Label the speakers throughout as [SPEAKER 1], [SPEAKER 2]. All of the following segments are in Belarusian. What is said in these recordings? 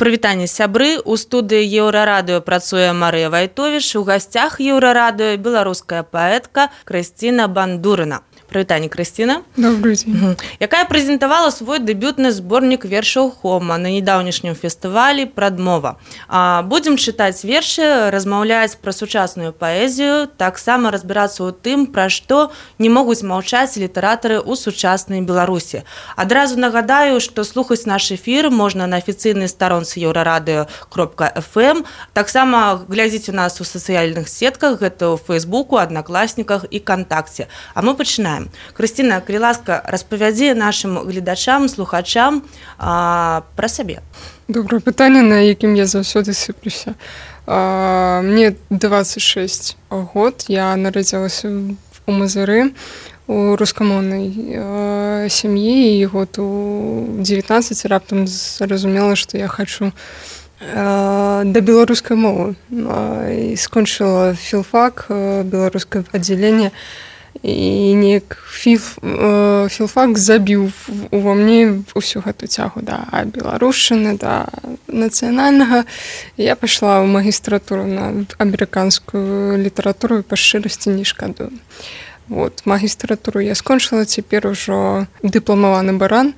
[SPEAKER 1] Прывітанне, сябры. У студыі Еўрарадыё працуе Марыя Вайтовіч. У гасцях Еўрарадыё беларуская паэтка Крысціна Бандурына. Прывітанне, Крысціна.
[SPEAKER 2] Добрый дзень.
[SPEAKER 1] Якая прэзентавала свой дэбютны зборнік вершаў Хома на нядаўнішнім фестывалі «Прадмова». Будзем чытаць вершы, размаўляць пра сучасную паэзію, таксама разбірацца ў тым, пра што не могуць маўчаць літаратары ў сучаснай Беларусі. Адразу нагадаю, што слухаць наш эфір можна на афіцыйнай старонцы euradio.fm. Таксама глядзіце нас у сацыяльных сетках, гэта ў Фейсбуку, Аднакласніках і Кантакце. А мы пачынаем. Крысціна, калі ласка, распавядзі нашым гледачам, слухачам пра сабе.
[SPEAKER 2] Добрае пытанне, на якім я заўсёды сыплюся. Мне 26 год, я нарадзілася у Мазыры, у рускамоўнай сям'і, і год у 19 раптам зразумела, што я хачу да беларускай мовы. І скончыла філфак, беларускае аддзяленне, і неяк філфак забіў ува мне ўсю гэту цягу да беларушчыны, да нацыянальнага. Я пайшла ў магістратуру на амерыканскую літаратуру і па шчырасці не шкадую. Вот, магістратуру я скончыла, цяпер ужо дыпламаваны баран.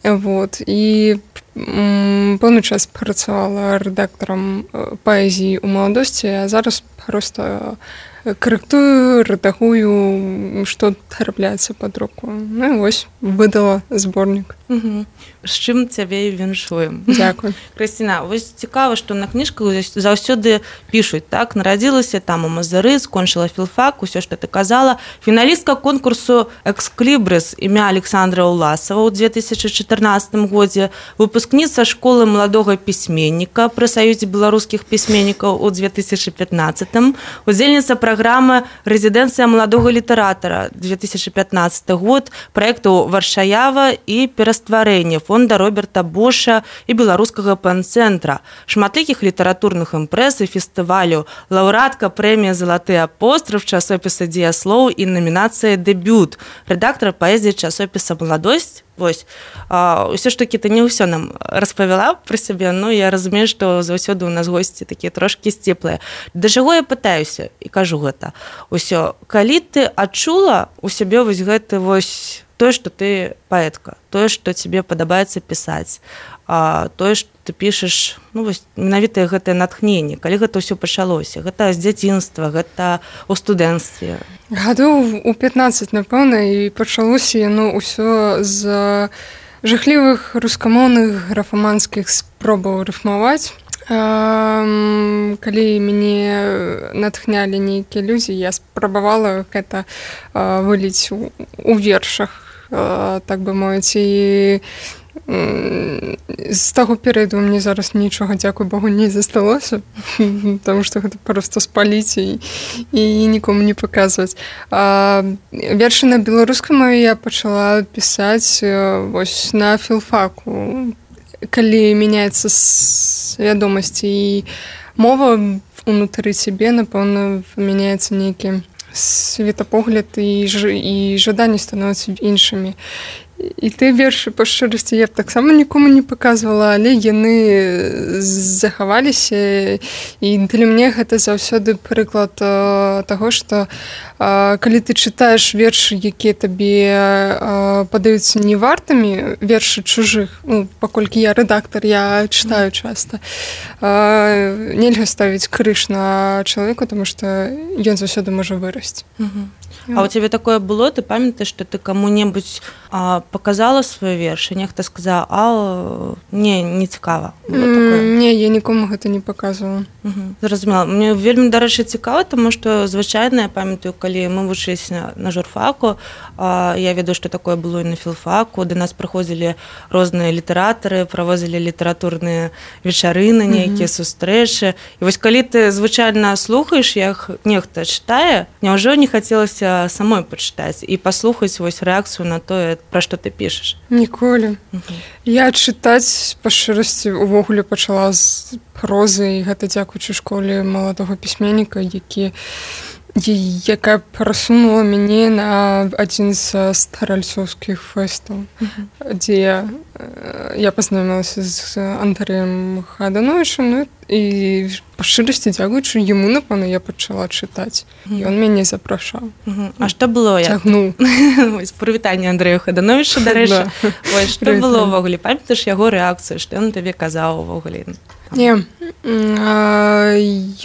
[SPEAKER 2] Вот, і пэўны час працавала рэдактарам паэзіі ў маладосці, а зараз проста карэктую, рэдагую, што трапляецца пад руку. Ну і вось, выдала зборнік.
[SPEAKER 1] З чым цябе і віншуем.
[SPEAKER 2] Дзякуй.
[SPEAKER 1] Крысціна, вось цікава, што на кніжках заўсёды пішуць, так? Нарадзілася там у Мазыры, скончыла філфак, усё, што ты казала. Фіналістка конкурсу «Эксклібрыс» імя Александра Уласава ў 2014 годзе, выпускніца школы маладога пісьменніка пры Саюзе беларускіх пісьменнікаў у 2015, удзельніца праграмы «Рэзідэнцыя маладога літаратара» 2015 год, праекту «Варшаява» і «Перастварэнне» фонда Роберта Боша і беларускага пэн-цэнтра, шматлікіх літаратурных імпрэз і фестываляў, лаўрэатка прэміі «Залаты апостраф» часопіса «Дзеяслоў» і намінацыя «Дэбют», рэдактар паэзіі часопіса «Маладосць». Вось, ўсё ж такі ты не ўсё нам распавяла пра сябе, ну я разумею, што заўсёды ў нас госці такія трошкі сціплыя. Да чаго я пытаюся і кажу гэта? Усё, калі ты адчула ў сябе вось гэты вось тое, што ты паэтка, тое, што цябе падабаецца пісаць, тое, што ты пішаш, ну вось менавіта гэтае натхненне, калі гэта ўсё пачалося, гэта з дзяцінства, гэта ў студэнцтве.
[SPEAKER 2] Гадоў у 15, напэўна, і пачалося яно ўсё з жахлівых рускамоўных графаманскіх спробаў рыфмаваць. Калі мяне натхнялі нейкія людзі, я спрабавала гэта выліць у вершах, так бы мовіць, і з таго перыяду мне зараз нічога, дзякуй Богу, не засталося, таму што гэта проста спаліць і нікому не паказваць. Вершы на беларускай мове я пачала пісаць вось на філфаку. Калі мяняецца свядомасць і мова унутры цябе, напэўна, мяняецца нейкі светапогляд і жаданні становяцца іншымі. І ты вершы па шчырасці я б таксама нікому не паказвала, але яны захаваліся, і для мяне гэта заўсёды прыклад таго, што калі ты чытаеш вершы, якія табе падаюцца невартымі, вершы чужых, ну, паколькі я рэдактар, я чытаю часта, нельга ставіць крыж на чалавека, таму што ён заўсёды можа вырасці.
[SPEAKER 1] А у цябе такое было, ты памятаеш, што ты каму-небудзь паказала свае вершы, нехта сказаў, не цікава.
[SPEAKER 2] Не, я нікому гэта не паказвала.
[SPEAKER 1] Зразумела. Мне вельмі, дарэчы, цікава, таму што звычайна, я памятаю, калі мы вучыліся на журфаку, я ведаю, што такое было і на філфаку, да нас прыходзілі розныя літаратары, правозілі літаратурныя вечарыны, нейкія сустрэчы. І вось калі ты звычайна слухаеш, як нехта чытае, няўжо не хацелася самой пачытаць і паслухаць вось рэакцыю на тое, пра што ты пішаш?
[SPEAKER 2] Ніколі. Я чытаць па шчырасці увогуле пачала з прозы, і гэта дзякуючы школе маладога пісьменніка, які якая прасунула мяне на адзін з старальцоўскіх фэстаў, дзе я пазнаёмілася з Андрэем Хадановічам, ну, і па шчырасці дзякуючы яму, напэўна, я пачала чытаць. Ён мяне запрашаў.
[SPEAKER 1] А што было?
[SPEAKER 2] Цягнуў.
[SPEAKER 1] Прывітанне Андрэю Хадановічу, дарэчы. Што было ўвогуле? Памятаеш яго рэакцыю, што ён табе казаў увогуле?
[SPEAKER 2] Не,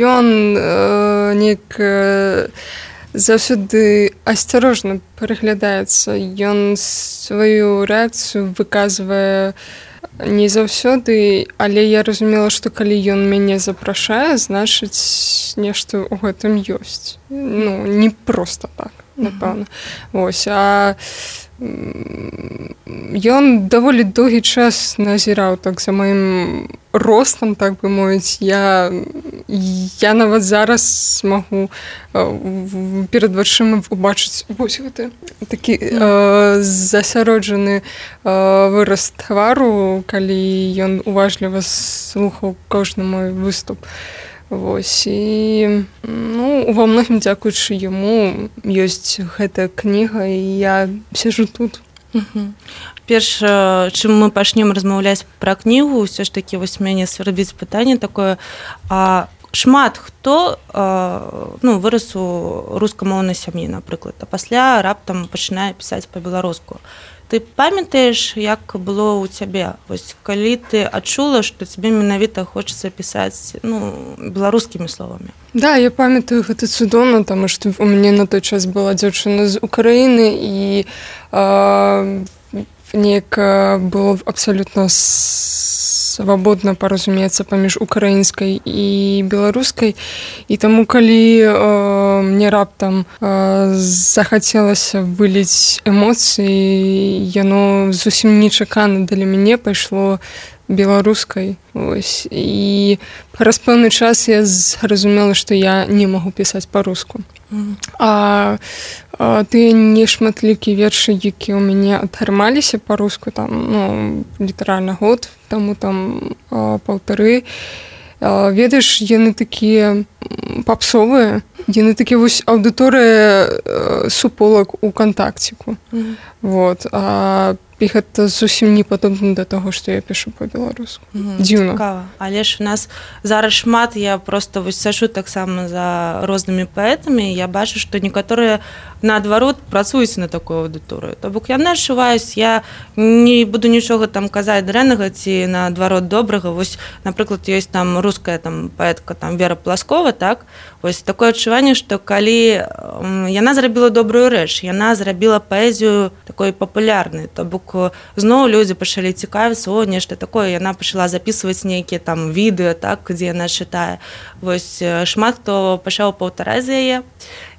[SPEAKER 2] ён неяк заўсёды асцярожна пераглядаецца. Ён сваю рэакцыю выказвае не заўсёды, але я разумела, што калі ён мяне запрашае, значыць, нешта ў гэтым ёсць. Ну, не проста так, напэўна. Вось, а ён даволі доўгі час назіраў так за маім ростам, так бы мовіць. Я нават зараз магу перад вачыма убачыць вось гэты такі засяроджаны выраз твару, калі ён уважліва слухаў кожны мой выступ. Вось, і ну, ва многім дзякуючы яму ёсць гэтая кніга, і я сижу тут.
[SPEAKER 1] Перш, чым мы пачнем размаўляць пра кнігу, ўсё ж такі вось мяне свербіць пытанне такое, шмат хто вырас у рускамоўнай сям'і, напрыклад, а пасля раптам пачынае пісаць па-беларуску. Ты памятаеш, як было ў цябе? Вось, калі ты адчула, што цябе менавіта хочацца пісаць беларускімі словамі?
[SPEAKER 2] Да, я памятаю гэта цудоўна, таму што у мяне на той час была дзяўчына з Украіны, і неяк было абсалютна свабодна паразумецца паміж украінскай і беларускай. І таму, калі мне раптам захацелася выліць эмоцыі, яно зусім нечакана для мяне пайшло беларускай. Ось. І праз пэўны час я зразумела, што я не магу пісаць па-руску. А тыя нешматлікія вершы, які ў мяне атрымаліся па-руску, там, літаральна год таму, там, паўтары, ведаеш, яны такія папсовыя, яны такі вось аўдыторыя суполак у кантакціку. Вот. І гэта зусім не падобна да таго, што я пішу па-беларуску. Дзіўна.
[SPEAKER 1] Цікава. Але ж у нас зараз шмат, я проста вось сачу таксама за рознымі паэтамі, я бачу, што некаторыя наадварот працуюць на такую аўдыторыю. То бок яны адчуваюць, я не буду нічога там казаць дрэннага ці наадварот добрага. Вось, напрыклад, ёсць там руская там паэтка там Вера Пласкова, так? Вось такое адчуванне, што калі яна зрабіла добрую рэч, яна зрабіла паэзію такой папулярнай, то бок зноў людзі пачалі цікавіцца, нешта такое, яна пачала запісваць нейкія там відэо, так, дзе яна чытае. Вось шмат хто пачаў паўтараць за яе,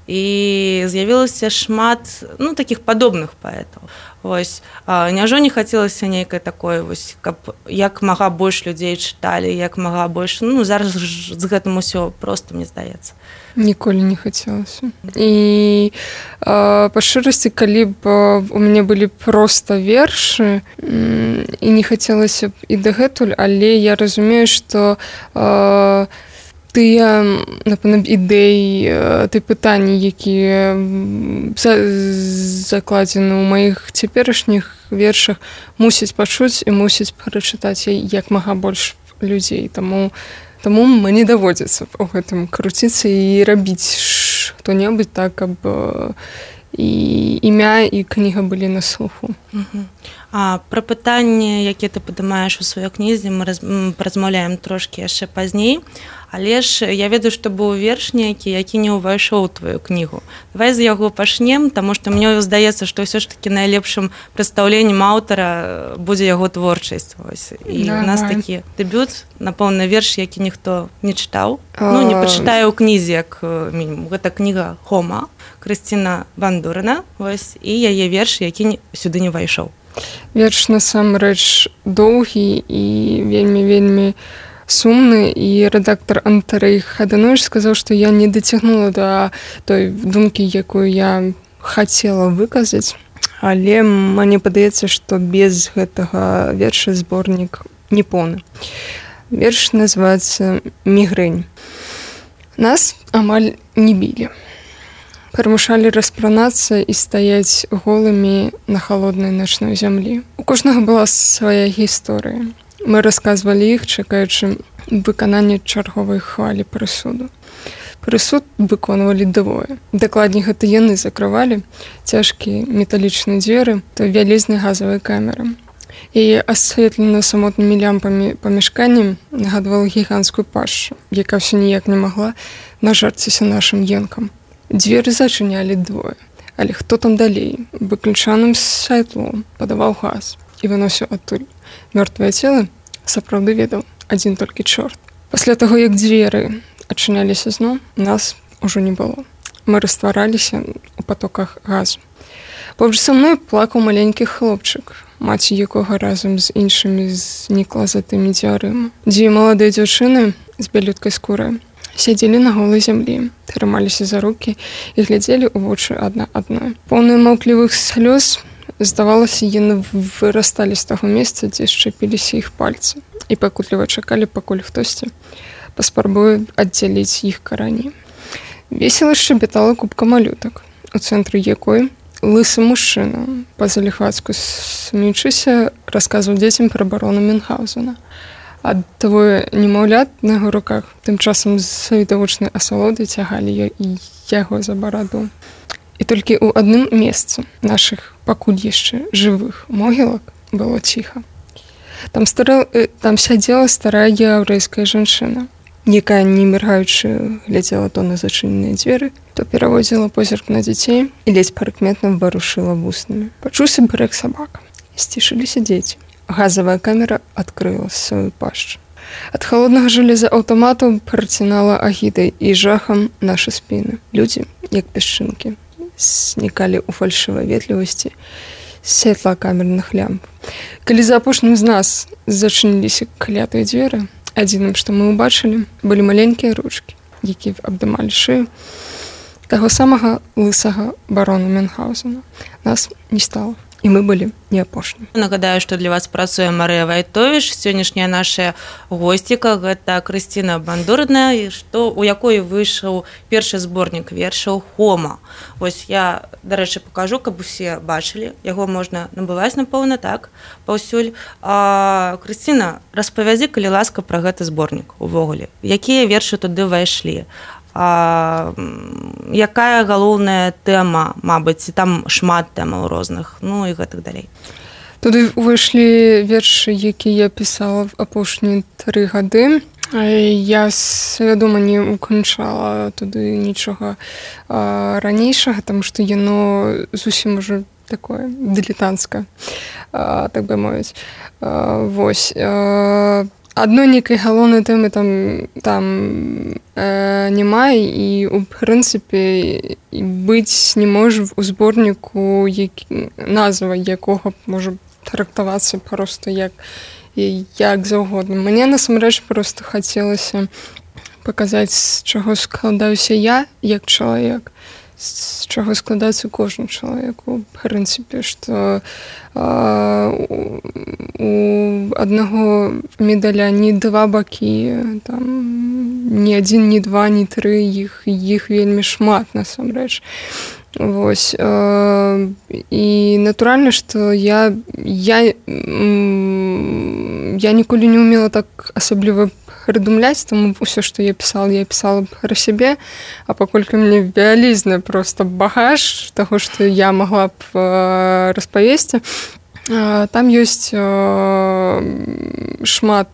[SPEAKER 1] і з'явілася шмат такіх падобных паэтаў. Вось, няўжо не хацелася нейкай такой, вось, каб як мага больш людзей чыталі, як мага больш, зараз з гэтым усё проста, мне здаецца.
[SPEAKER 2] Ніколі не хацелася. І па шчырасці, калі б у мяне былі проста вершы, і не хацелася б і дагэтуль, але я разумею, што тыя, напэўна, ідэі, тыя пытанні, якія закладзены ў маіх цяперашніх вершах, мусяць пачуць і мусяць прачытаць як мага больш людзей. Таму мне даводзіцца ў гэтым круціцца і рабіць што-небудзь так, каб і імя, і кніга былі на слуху.
[SPEAKER 1] Пра пытанні, якія ты падымаеш у сваёй кнізе, мы размаўляем трошкі яшчэ пазней, але ж я ведаю, што быў верш нейкі, які не ўвайшоў у тваю кнігу. Давай з яго пачнем, таму што мне здаецца, што ўсё ж такі найлепшым прадстаўленнем аўтара будзе яго творчасць. І у нас такі дэбют, напэўна, верш, які ніхто не чытаў. Не пачытае ў кнізе, як мінімум. Гэта кніга «Хома» Крысціна Бандурына, і яе верш, які сюды не ўвайшоў.
[SPEAKER 2] Верш насамрэч доўгі і вельмі сумны, і рэдактар Андрэй Хадановіч сказаў, што я не дацягнула да той думкі, якую я хацела выказаць, але мне падаецца, што без гэтага верша зборнік не поўны. Верш называецца «Мігрэнь». Нас амаль не білі. прымушалі распранацца і стаяць голымі на халоднай начной зямлі. У кожнага была свая гісторыя. Мы расказвалі іх, чакаючы выканання чарговай хвалі прысуду. Прысуд выконвалі двое. Дакладней, гэта яны закрывалі цяжкія металічныя дзверы та вялізнай газавай камеры. Яе асветлена самотнымі лямпамі памяшканнем нагадвала гіганцкую пашчу, якая ўсё ніяк не магла нажарціся нашым енкам. Дзверы зачынялі двое, але хто там далей, выключаным святлом падаваў газ і выносіў адтуль. Мёртвыя целы сапраўды ведаў адзін толькі чорт. Пасля таго, як дзверы адчыняліся зноў, нас ужо не было. Мы раствараліся ў патоках газу. Побач са мной плакаў маленькі хлопчык, маці якога разам з іншымі знікла за тымі дзвярыма. Дзве маладыя дзяўчыны з бялюткай скурай сядзелі на голай зямлі, трымаліся за рукі і глядзелі ў вочы адна адной. Поўныя маўклівых слёз, здавалася, яны вырасталі з таго месца, дзе шчапіліся іх пальцы, і пакутліва чакалі, пакуль хтосьці паспрабуе аддзяліць іх карані. Весела шчабятала купка малютак, у цэнтры якой лысы мужчына, па-заліхвацку смеючыся, расказваў дзецям пра барона Мюнхгаузена. А двое немаўлят на яго руках тым часам з відавочнай асалодай цягалі яго за бараду. І толькі ў адным месцы нашых пакуль яшчэ жывых могілак было ціха. Там сядзела старая яўрэйская жанчына, якая, не міргаючы, глядзела то на зачыненыя дзверы, то пераводзіла позірк на дзяцей і ледзь прыкметна варушыла вуснамі. Пачуўся брэк сабак. Сцішыліся дзеці. Газавая камера адкрыла сваю пашчу. Ад халоднага жалеза аўтаматаў працінала агідай і жахам нашы спіны. Людзі, як пясчынкі, знікалі ў фальшывай ветлівасці святла камерных лямп. Калі за апошнім з нас зачыніліся клятыя дзверы, адзіным, што мы ўбачылі, былі маленькія ручкі, якія абдымалі шыю таго самага лысага барона Мюнхгаузена. Нас не стала. І мы былі не апошнімі.
[SPEAKER 1] Нагадаю, што для вас працуе Марыя Вайтовіч. Сённяшняя наша госціка – гэта Крысціна Бандурная, у якой выйшаў першы зборнік вершаў «Хома». Вось я, дарэчы, пакажу, каб усе бачылі. Яго можна набываць, напэўна, так, паўсюль. Крысціна, распавядзі, калі ласка, пра гэты зборнік увогуле. Якія вершы туды ўвайшлі? Якая галоўная тэма, мабыць, там шмат тэмаў розных, ну і гэтак далей.
[SPEAKER 2] Туды ўвайшлі вершы, якія я пісала в апошнія 3 гады. Я свядома не уключала туды нічога ранейшага, таму што яно зусім ужо такое дылетантскае, так бы мовіць. Вось. Адной нейкай галоўнай тэмы там няма, і у прынцыпе быць не можа у зборніку, назва якога можа трактавацца проста як заўгодна. Мне насамрэч проста хацелася паказаць, з чаго складаюся я як чалавек, з чаго складаецца кожны чалавек. У прынцыпе, што у аднаго медаля не 2 бакі, ні 1, ні 2, ні 3, іх вельмі шмат насамрэч. Вось. І натуральна, што я ніколі не ўмела так асабліва прыдумляць, таму ўсё, што я пісала пра сябе, а паколькі мне вялізны проста багаж таго, што я магла б распавесці, там ёсць шмат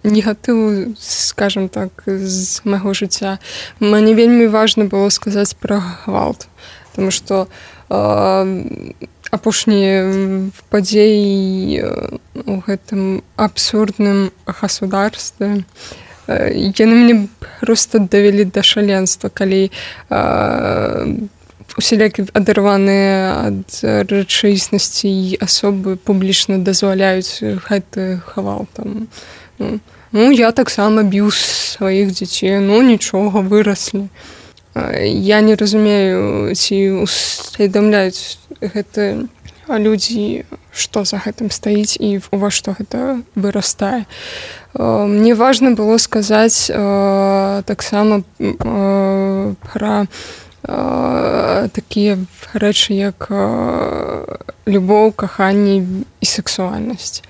[SPEAKER 2] негатыву, скажам так, з майго жыцця. Мне вельмі важна было сказаць пра гвалт, таму што апошнія падзеі у гэтым абсурдным государстве, яны мне проста давялі да шаленства, калі усялякі адарваныя ад рэчаіснасці і асобы публічна дазваляюць гэты гвалт. Я таксама біў сваіх дзяцей, нічога, выраслі. Я не разумею, ці усведамляюць гэта людзі, што за гэтым стаіць і ува што гэта вырастае. Мне важна было сказаць таксама пра такія рэчы, як любоў, каханне і сексуальнасць.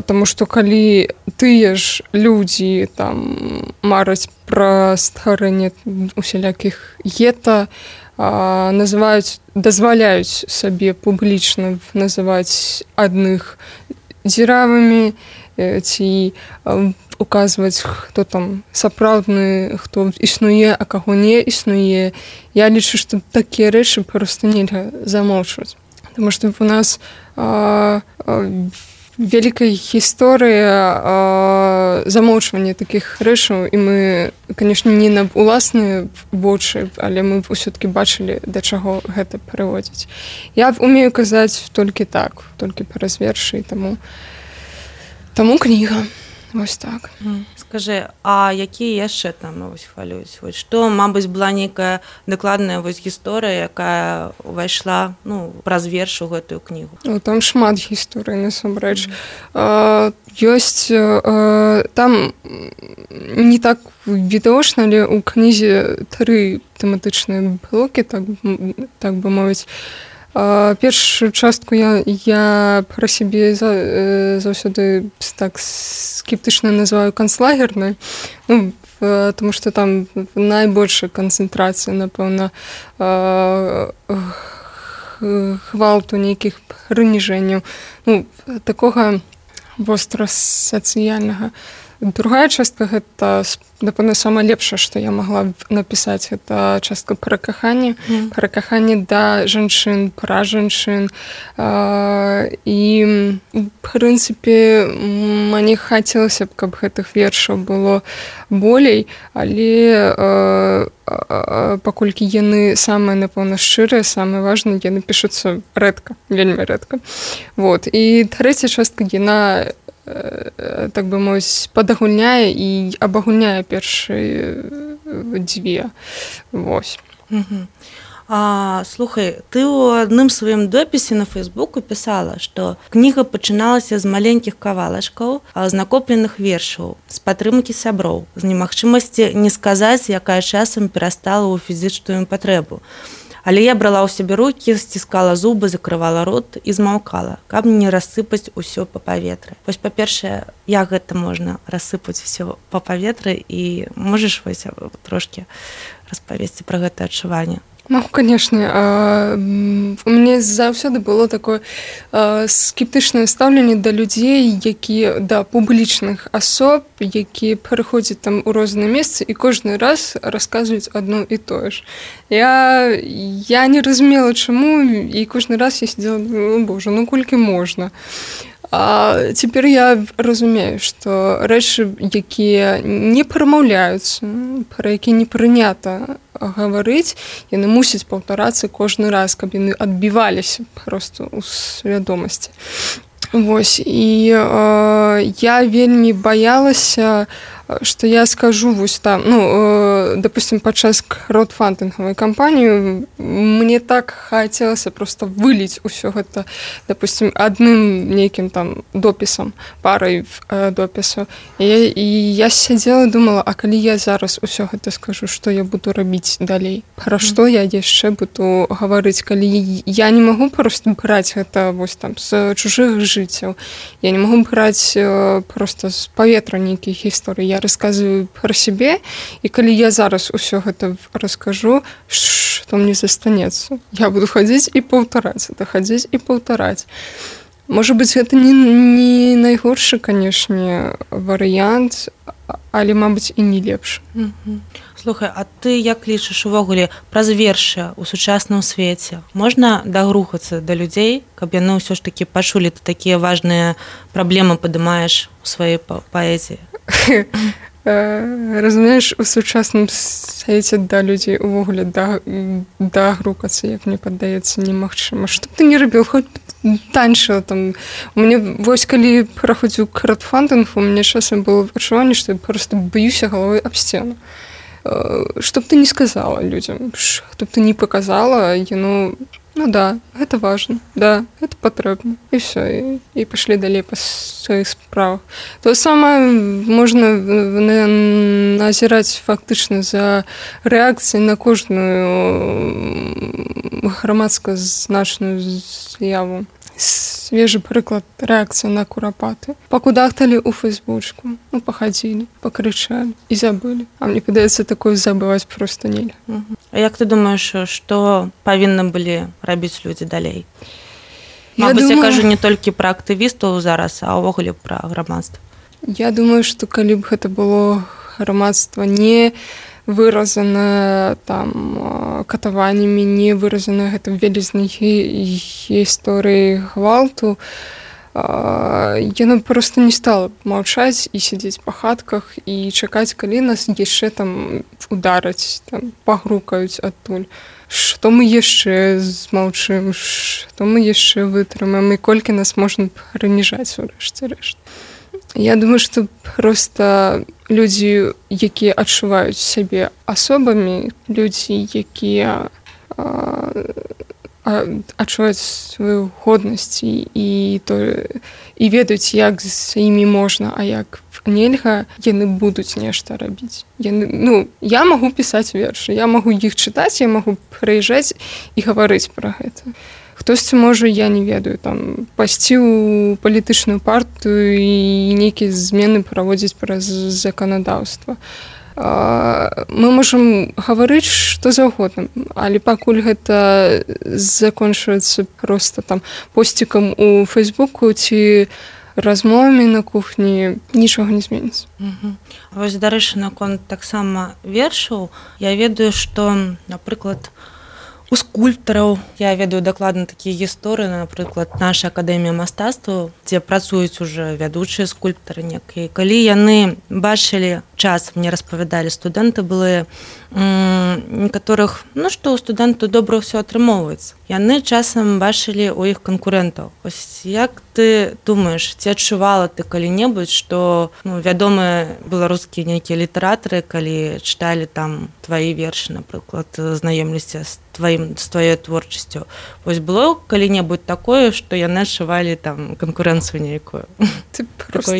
[SPEAKER 2] Таму што калі тыя ж людзі там мараць пра стварэнне усялякіх гета, дазваляюць сабе публічна называць адных дзіравымі ці указваць, хто там сапраўдны, хто існуе, а каго не існуе. Я лічу, што такія рэчы проста нельга замоўчваць. Таму што у нас вялікая гісторыя замоўчвання такіх рэчаў, і мы, канешне, не на ўласныя вочы, але мы ўсё-такі бачылі, да чаго гэта прыводзіць. Я умею казаць толькі так, толькі праз вершы, таму кніга. Вось так.
[SPEAKER 1] Скажы, а якія яшчэ там вось хвалююць? Вось што, мабыць, была нейкая дакладная вось гісторыя, якая ўвайшла, ну, праз верш у гэтую кнігу?
[SPEAKER 2] Там шмат гісторый, насамрэч. Ёсць там не так відавочна, але ў кнізе 3 тэматычныя блокі, так бы мовіць. Першую частку я пра сябе заўсёды так скептычна называю канцлагернай, ну, тому што там найбольшая канцэнтрацыя, напэўна, гвалту, нейкіх прыніжэнняў, ну, такога вострасацыяльнага. Другая частка — гэта, напэўна, самае лепшае, што я магла напісаць. Гэта частка пра каханне, пра каханне да жанчын, пра жанчын. І, в прынцыпе, мне хацелася б, каб гэтых вершаў было болей, але паколькі яны самыя, напэўна, шчырыя, самыя важныя, яны пішуцца рэдка, вельмі рэдка. Вот. І трэцяя частка, яна, так бы мовіць, падагульняе і абагульняе першыя 2. Вось.
[SPEAKER 1] Слухай, ты ў адным сваім допісе на Фейсбуку пісала, што кніга пачыналася з маленькіх кавалачкаў, з накопленых вершаў, з падтрымкі сяброў, з немагчымасці не сказаць, якая часам перастала ў фізічную патрэбу. Але я брала ў сябе рукі, сціскала зубы, закрывала рот і змаўкала, каб не рассыпаць усё па паветры. Вось, па-першае, як гэта можна рассыпаць усё па паветры, і можаш вось трошкі распавесці пра гэта адчуванне?
[SPEAKER 2] Могу, конечно. У мяне заўсёды было такое скептычнае стаўленне да людзей, якія, да публічных асоб, якія пераходзяць там у розныя месцы і кожны раз расказваюць адно і тое ж. Я не разумела, чаму, і кожны раз я сидела, боже, ну колькі можна. А цяпер я разумею, што рэчы, якія не прамаўляюцца, пра якія не прынята гаварыць, яны мусяць паўтарацца кожны раз, каб яны адбіваліся проста ў свядомасці. Вось, і я вельмі баялася, што я скажу вось там, ну, допустим, падчас краудфандынгавай кампаніі мне так хацелася проста выліць усё гэта, допустим, адным нейкім там допісам, парай допісаў. І я сядзела і думала, а калі я зараз усё гэта скажу, што я буду рабіць далей? Пра што я яшчэ буду гаварыць, калі я не магу проста браць гэта вось там з чужых жыццяў, я не магу браць проста з паветра нейкіх гісторый. Я расказваю пра сябе, і калі я зараз усё гэта раскажу, што мне застанецца? Я буду хадзіць і паўтараць, хадзіць і паўтараць. Можа быць, гэта не найгоршы, канешне, варыянт, але, мабыць, і не лепш.
[SPEAKER 1] Слухай, а ты як лічыш увогуле праз вершы ў сучасным свеце? Можна дагрухацца да людзей, каб яны ўсё ж такі пачулі, ты такія важныя праблемы падымаеш у сваёй паэзіі?
[SPEAKER 2] Разумееш, у сучасным свеце да людзей увогуле дагрукацца, як мне падаецца, немагчыма. Што б ты не рабіў, хоць танчыла там. У мяне, вось калі праходзіў краудфандынг, у мяне часам было адчуванне, што я проста баюся галавой аб сцену. Што б ты не сказала людзям, што б ты не паказала, яно Ну да, гэта важна, да, гэта патрэбна. І все, і пашлі далей па сваіх справах. То самае можна назіраць фактычна за рэакцыяй на кожную грамадска значную з'яву. Свежий приклад – реакція на куропати. Покудахтали у Фейсбучку, ну, походили, покричали и забыли. А мне кажется, такое забывать просто нельзя.
[SPEAKER 1] А як ти думаєш, що повинні були робити люди далі? Мабуть, я кажу не тільки про активістів зараз, а увогуле про громадство.
[SPEAKER 2] Я думаю, што калі б гэта было грамадства не выразана там катаваннямі, не выразана гэта вялізнай гісторыі гвалту, яно проста не стала маўчаць і сядзець па хатках і чакаць, калі нас яшчэ там удараць, там пагрукаюць адтуль. Што мы яшчэ змаўчым, што мы яшчэ вытрымаем і колькі нас можна прыніжаць у рэшце рэшт. Я думаю, што проста людзі, якія адчуваюць сябе асобамі, людзі, якія адчуваюць сваю годнасць і ведаюць, як з імі можна, а як нельга, яны будуць нешта рабіць. Я магу пісаць вершы, я магу іх чытаць, я магу прыязджаць і гаварыць пра гэта. Хтосьці можа, я не ведаю, там пайсці ў палітычную партыю і нейкія змены праводзіць праз заканадаўства. Мы можам гаварыць што заўгодна, але пакуль гэта закончваецца проста там посцікам у Фейсбуку ці размовамі на кухні, нічога не зменіцца.
[SPEAKER 1] Вось, дарэчы, наконт таксама вершаў, я ведаю, што, напрыклад, у скульптараў, я ведаю дакладна такія гісторыі, напрыклад, наша акадэмія мастацтваў, дзе працуюць ужо вядучыя скульптары некія. Калі яны бачылі час, мне распавядалі студэнты былыя, некаторых, што ў студэнту добра ўсё атрымоўваецца. Яны часам бачылі ў іх канкурэнтаў. Ось як ты думаеш, ці адчувала ты калі-небудзь, што вядомыя беларускія нейкія літаратары, калі чыталі там твае вершы, напрыклад, знаёміліся з тваёй творчасцю. Вось было калі-небудзь такое, што яны адчувалі там канкурэнцыю нейкую?
[SPEAKER 2] Ты просто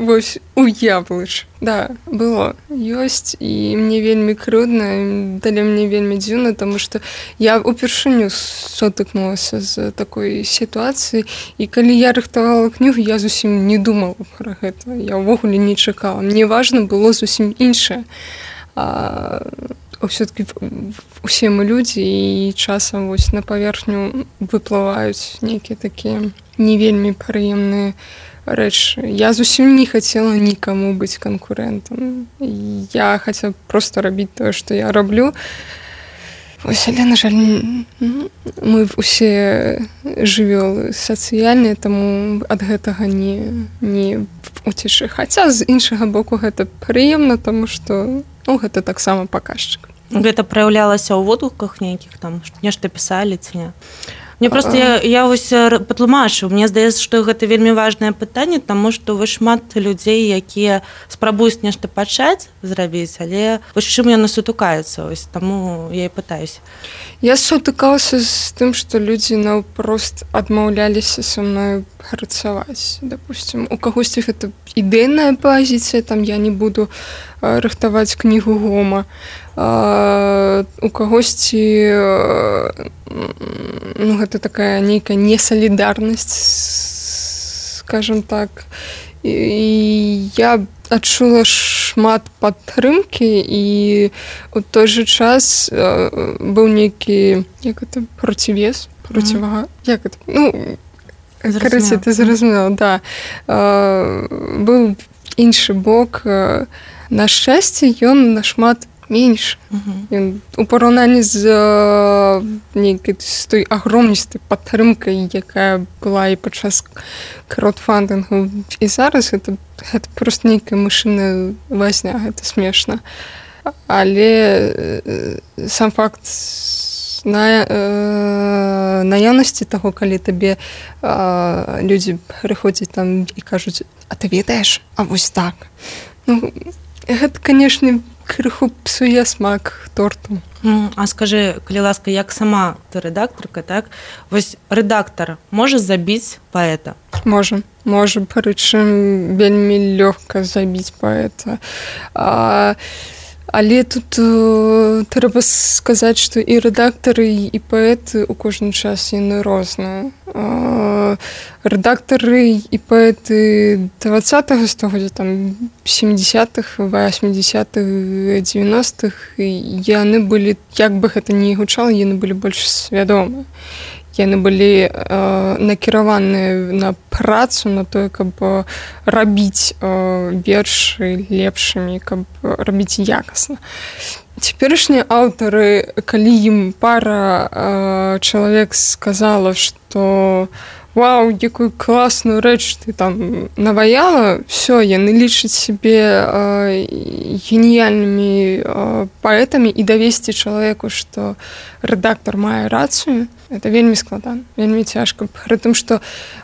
[SPEAKER 2] вось уяўліш. Да, было. Ёсць, і мне вельмі крыўдна, далей мне вельмі дзіўна, таму што я упершыню сутыкнулася з такой сітуацыяй, і калі я рыхтавала кнігу, я зусім не думала пра гэта. Я ўвогуле не чакала. Мне важна было зусім іншае. Все-таки усе мы людзі, і часам вось на паверхню выплываюць нейкія такія не вельмі прыемныя рэчы. Я зусім не хацела нікаму быць канкурэнтам. Я хацела проста рабіць тое, што я раблю. Вось, але, на жаль, мы ўсе жывёлы сацыяльныя, таму ад гэтага не уцечы. Хаця з іншага боку гэта прыемна, таму што гэта таксама паказчык.
[SPEAKER 1] Гэта праяўлялася ў водгуках нейкіх, там нешта пісалі ці не? Мне проста я вось патлумачу, мне здаецца, што гэта вельмі важнае пытанне, таму што вы шмат людзей, якія спрабуюць нешта пачаць зрабіць, але вось чым яны сутыкаюцца, вось таму я і пытаюся.
[SPEAKER 2] Я сутыкалася з тым, што людзі наўпрост адмаўляліся са мною працаваць. Допустим, у кагосьці гэта ідэйная пазіцыя, там я не буду рыхтаваць кнігу Гома. У кагосьці гэта такая нейкая несалідарнасць, скажем так. І я адчула шмат падтрымкі, і ў той жа час быў нейкі, як гэта, процівес, процівага, як гэта, караце, ты зразумела, да. Быў іншы бок. На шчасце, ён нашмат менш. У параўнанні з нейкай з той агромністай падтрымкай, якая была і падчас краудфандынгу, і зараз гэта проста нейкая мышыная вазня, гэта смешна. Але сам факт наяўнасці таго, калі табе людзі прыходзяць там і кажуць: а ты ведаеш? А вось так. Гэта, канешне, крыху псуе смак торту.
[SPEAKER 1] А скажы, калі ласка, як сама ты рэдактарка, так? Вось рэдактар можа забіць паэта?
[SPEAKER 2] Можа, прычым вельмі лёгка забіць паэта. Але тут трэба сказаць, што і рэдактары, і паэты ў кожны час яны розныя. Рэдактары і паэты 20-го стагоддзя, там 70-х, 80-х, 90-х, яны былі, як бы гэта ні гучала, яны былі больш свядомыя. Яны былі накіраваныя на працу, на тое, каб рабіць вершы лепшымі, каб рабіць якасна. Цяперашнія аўтары, калі ім пара чалавек сказала, што «Вау, якую класную рэч ты там наваяла», всё, яны лічаць сябе геніяльнымі паэтамі, і давесці чалавеку, што рэдактар мае рацыю, это вельмі складана, вельмі цяжка. Пры тым, што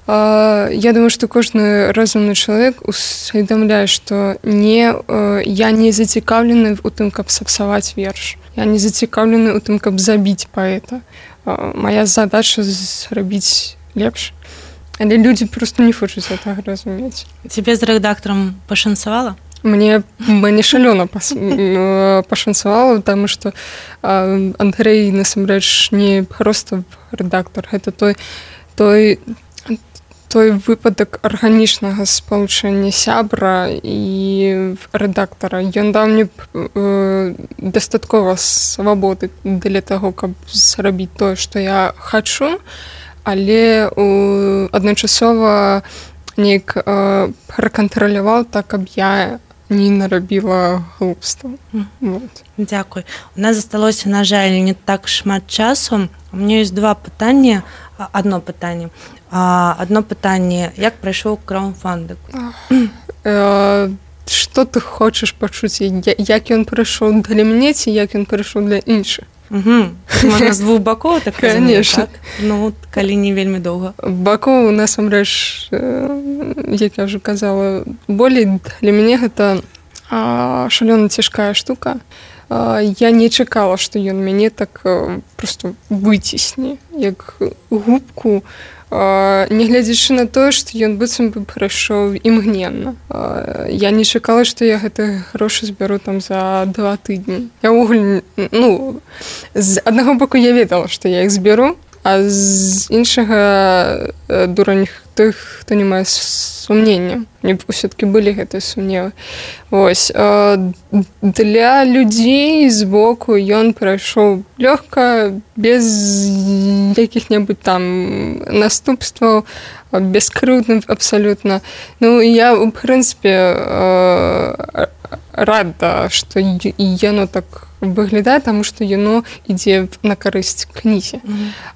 [SPEAKER 2] я думаю, што кожны разумны чалавек усведамляе, што я не зацікаўлены ў тым, каб сапсаваць верш. Я не зацікаўлены ў тым, каб забіць паэта. Мая задача зрабіць лепш. Але людзі проста не хочуць гэтага разумець.
[SPEAKER 1] Цябе з рэдактарам пашанцавала?
[SPEAKER 2] Мне шалёна пашанцавала, таму што Андрэй насамрэч не проста рэдактар, гэта той выпадак арганічнага спалучэння сябра і рэдактара. Ён даў мне дастаткова свабоды для таго, каб зрабіць тое, што я хачу, але адначасова неяк пракантраляваў так, каб я не нарабіла глупства.
[SPEAKER 1] Дзякуй. У нас засталося, на жаль, не так шмат часу. У меня ёсць одно пытанне. Одно пытанне, як прайшоў краўдфандынг?
[SPEAKER 2] Што ты хочаш пачуць? Як ён прайшоў для мяне, ці як ён прайшоў для іншых?
[SPEAKER 1] Можна з двух бакоў, так разумею, так? Ну, калі не вельмі доўга.
[SPEAKER 2] Бакоў, насамрэч, як я ўжо казала, болей для мяне гэта шалёна цяжкая штука. Я не чакала, што ён мяне так проста выцісне, як губку, нягледзячы на тое, што ён быццам бы прайшоў імгненна. Я не чакала, што я гэты грошы збяру там за 2 тыдні. Я ўвогуле, з аднаго боку я ведала, што я іх збяру, а з іншага дурань тых, хто не мае сумнення. Мне ўсё-такі былі гэтыя сумневы. Вось. Для людзей з боку ён прайшоў лёгка, без якіх-небудзь там наступстваў, бескрыўдным абсалютна. Ну, я, у прынцыпе, рада, што яно так выглядае, таму што яно ідзе на карысць кнізе.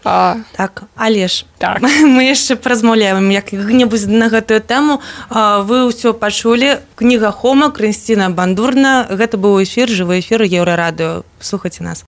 [SPEAKER 1] Так, але ж
[SPEAKER 2] так.
[SPEAKER 1] Мы яшчэ паразмаўляем як-небудзь на гэтую тэму. Вы ўсё пачулі. Кніга Хома, Крысціна Бандурна. Гэта быў эфір, жывы эфір Еўрарадыё. Слухайце нас.